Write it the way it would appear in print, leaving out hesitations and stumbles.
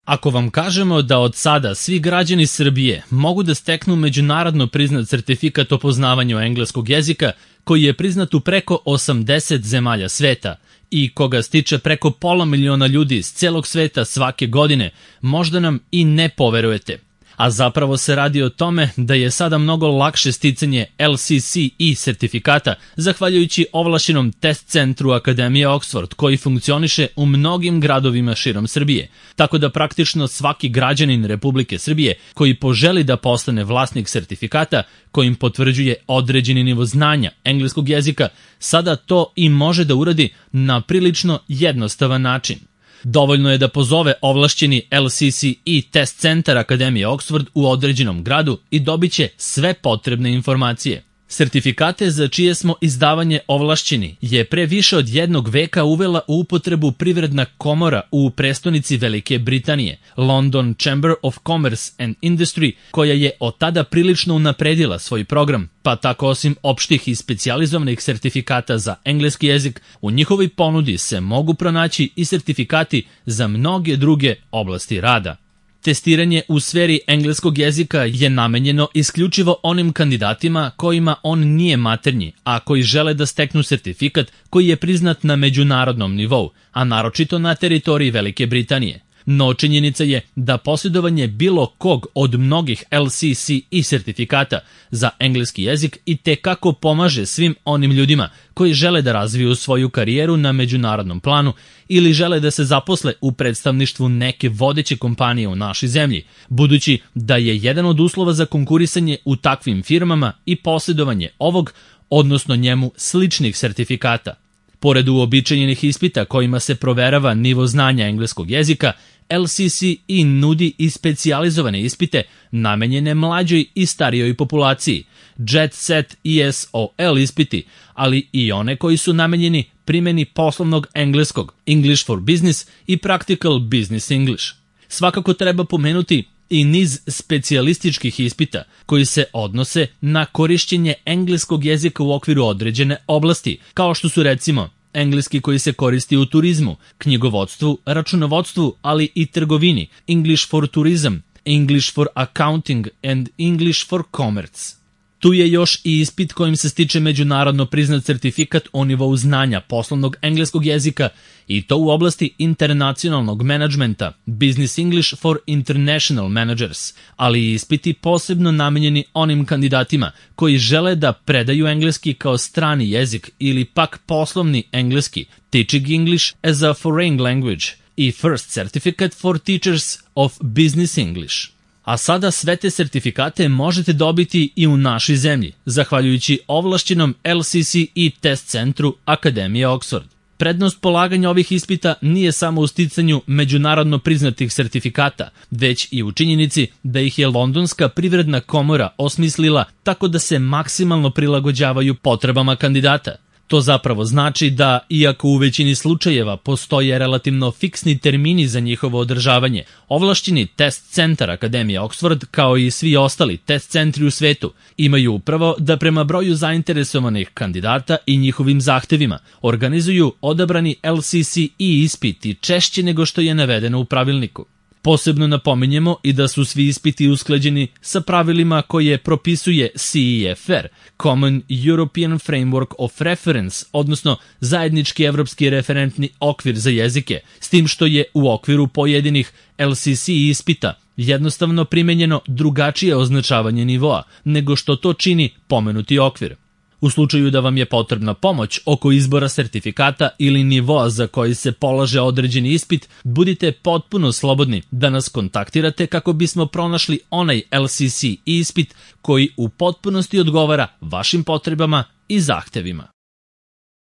Ako vam kažemo da od sada svi građani Srbije mogu da steknu međunarodno priznat sertifikat o poznavanju engleskog jezika koji je priznat u preko 80 zemalja sveta i koga stiče preko 500.000 ljudi iz celog sveta svake godine, možda nam i ne poverujete. A zapravo se radi o tome da je sada mnogo lakše sticanje LCCE sertifikata zahvaljujući ovlašćenom test centru Akademije Oxford koji funkcioniše u mnogim gradovima širom Srbije. Tako da praktično svaki građanin Republike Srbije koji poželi da postane vlasnik sertifikata kojim potvrđuje određeni nivo znanja engleskog jezika, sada to i može da uradi na prilično jednostavan način. Dovoljno je da pozove ovlašćeni LCCE test centar Akademije Oxford u određenom gradu i dobit će sve potrebne informacije. Sertifikate za čije smo izdavanje ovlašćeni je pre više od 1 veka uvela u upotrebu Privredna komora u prestonici Velike Britanije, London Chamber of Commerce and Industry, koja je od tada prilično unapredila svoj program, pa tako osim opštih i specijalizovanih sertifikata za engleski jezik, u njihovoj ponudi se mogu pronaći i sertifikati za mnoge druge oblasti rada. Testiranje u sferi engleskog jezika je namenjeno isključivo onim kandidatima kojima on nije maternji, a koji žele da steknu sertifikat koji je priznat na međunarodnom nivou, a naročito na teritoriji Velike Britanije. No činjenica je da posjedovanje bilo kog od mnogih LCCE sertifikata za engleski jezik i tekako pomaže svim onim ljudima koji žele da razviju svoju karijeru na međunarodnom planu ili žele da se zaposle u predstavništvu neke vodeće kompanije u našoj zemlji, budući da je jedan od uslova za konkurisanje u takvim firmama i posjedovanje ovog, odnosno njemu sličnih sertifikata. Pored uobičajenih ispita kojima se proverava nivo znanja engleskog jezika, LCCE nudi i specijalizovane ispite namenjene mlađoj i starijoj populaciji, Jet Set ESOL ispiti, ali i one koji su namenjeni primjeni poslovnog engleskog, English for Business i Practical Business English. Svakako treba pomenuti i niz specijalističkih ispita koji se odnose na korišćenje engleskog jezika u okviru određene oblasti, kao što su recimo engleski koji se koristi u turizmu, knjigovodstvu, računovodstvu, ali i trgovini, English for Tourism, English for Accounting and English for Commerce. Tu je još i ispit kojim se stiče međunarodno priznat sertifikat o nivou znanja poslovnog engleskog jezika i to u oblasti internacionalnog menadžmenta, Business English for International Managers, ali i ispiti posebno namenjeni onim kandidatima koji žele da predaju engleski kao strani jezik ili pak poslovni engleski, Teaching English as a Foreign Language i First Certificate for Teachers of Business English. A sada sve te sertifikate možete dobiti i u našoj zemlji, zahvaljujući ovlašćenom LCCE test centru Akademije Oxford. Prednost polaganja ovih ispita nije samo u sticanju međunarodno priznatih sertifikata, već i u činjenici da ih je Londonska privredna komora osmislila tako da se maksimalno prilagođavaju potrebama kandidata. To zapravo znači da, iako u većini slučajeva postoje relativno fiksni termini za njihovo održavanje, ovlašćeni test centar Akademije Oxford, kao i svi ostali test centri u svetu, imaju upravo da prema broju zainteresovanih kandidata i njihovim zahtevima organizuju odabrani LCCE ispiti češće nego što je navedeno u pravilniku. Posebno napominjemo i da su svi ispiti usklađeni sa pravilima koje propisuje CEFR, Common European Framework of Reference, odnosno zajednički evropski referentni okvir za jezike, s tim što je u okviru pojedinih LCCE ispita jednostavno primenjeno drugačije označavanje nivoa nego što to čini pomenuti okvir. U slučaju da vam je potrebna pomoć oko izbora sertifikata ili nivoa za koji se polaže određeni ispit, budite potpuno slobodni da nas kontaktirate kako bismo pronašli onaj LCCE ispit koji u potpunosti odgovara vašim potrebama i zahtevima.